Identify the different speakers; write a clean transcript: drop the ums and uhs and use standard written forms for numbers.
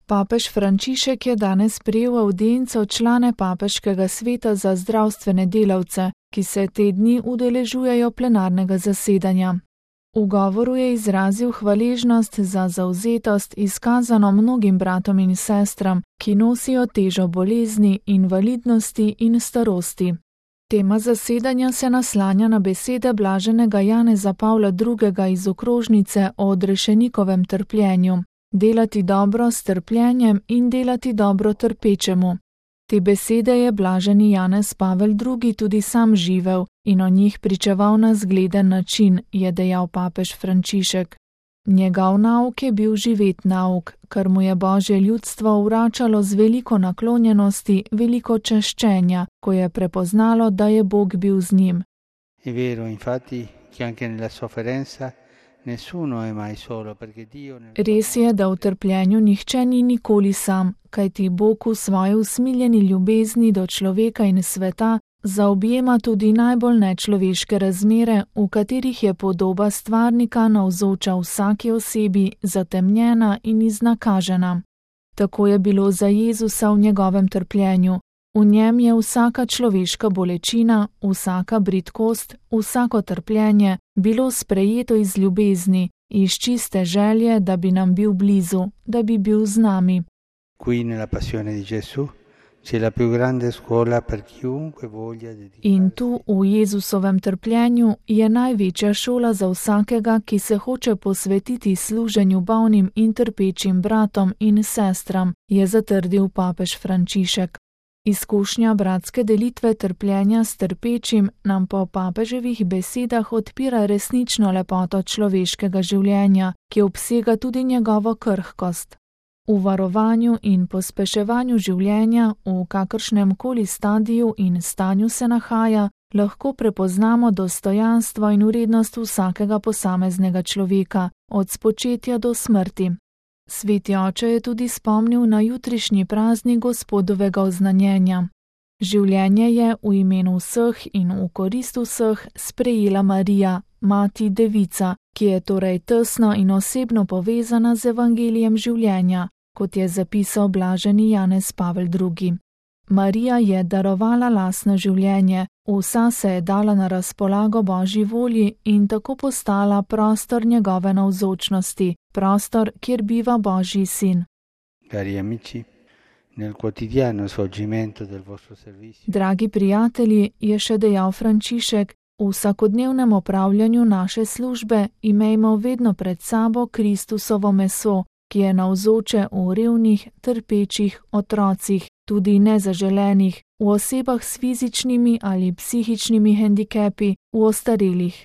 Speaker 1: Papež Frančišek je danes prijel avdienco člane Papeškega sveta za zdravstvene delavce, ki se te dni udeležujejo plenarnega zasedanja. V govoru je izrazil hvaležnost za zavzetost izkazano mnogim bratom in sestram, ki nosijo težo bolezni, invalidnosti in starosti. Tema zasedanja se naslanja na besede blaženega Janeza Pavla II. Iz okrožnice o odrešenikovem trpljenju. Delati dobro s trpljenjem in delati dobro trpečemu. Te besede je blaženi Janez Pavel II. Tudi sam živel in o njih pričeval na zgleden način, je dejal papež Frančišek. Njegov nauk je bil živet nauk, kar mu je Božje ljudstvo vračalo z veliko naklonjenosti, veliko čaščenja, ko je prepoznalo, da je Bog bil z njim.
Speaker 2: È vero, infatti, che anche nella sofferenza nessuno è mai solo, perché Dio
Speaker 1: Res je, da v trpljenju nihče ni nikoli sam, kajti Bog v svoji usmiljeni ljubezni do človeka in sveta zaobjema tudi najbolj nečloveške razmere, v katerih je podoba stvarnika navzoča vsaki osebi, zatemnjena in iznakažena. Tako je bilo za Jezusa v njegovem trpljenju. V njem je vsaka človeška bolečina, vsaka bridkost, vsako trpljenje bilo sprejeto iz ljubezni, iz čiste želje, da bi nam bil blizu, da bi bil z nami.
Speaker 2: Qui nella passione di Gesù c'è la più grande scuola per chiunque voglia dedicarsi.
Speaker 1: In tu, v Jezusovem trpljenju, je največja šola za vsakega, ki se hoče posvetiti služenju bolnim in trpečim bratom in sestram, je zatrdil papež Frančišek. Izkušnja bratske delitve trpljenja s trpečim nam po papeževih besedah odpira resnično lepoto človeškega življenja, ki obsega tudi njegovo krhkost. V varovanju in pospeševanju življenja, v kakršnem koli stadiju in stanju se nahaja, lahko prepoznamo dostojanstvo in vrednost vsakega posameznega človeka, od spočetja do smrti. Sveti oče je tudi spomnil na jutrišnji praznik Gospodovega oznanjenja. Življenje je v imenu vseh in v korist vseh sprejela Marija, mati devica, ki je torej tesno in osebno povezana z evangelijem življenja, kot je zapisal blaženi Janez Pavel II. Marija je darovala lastno življenje, vsa se je dala na razpolago Božji volji in tako postala prostor njegove navzočnosti, prostor, kjer biva Božji sin.
Speaker 2: Cari amici, nel quotidiano svolgimento del vostro servizio.
Speaker 1: Dragi prijatelji, je še dejal Frančišek, v vsakodnevnem opravljanju naše službe imejmo vedno pred sabo Kristusovo meso, ki je navzoče v revnih, trpečih otrocih, tudi nezaželenih, v osebah s fizičnimi ali psihičnimi hendikepi, v ostarelih.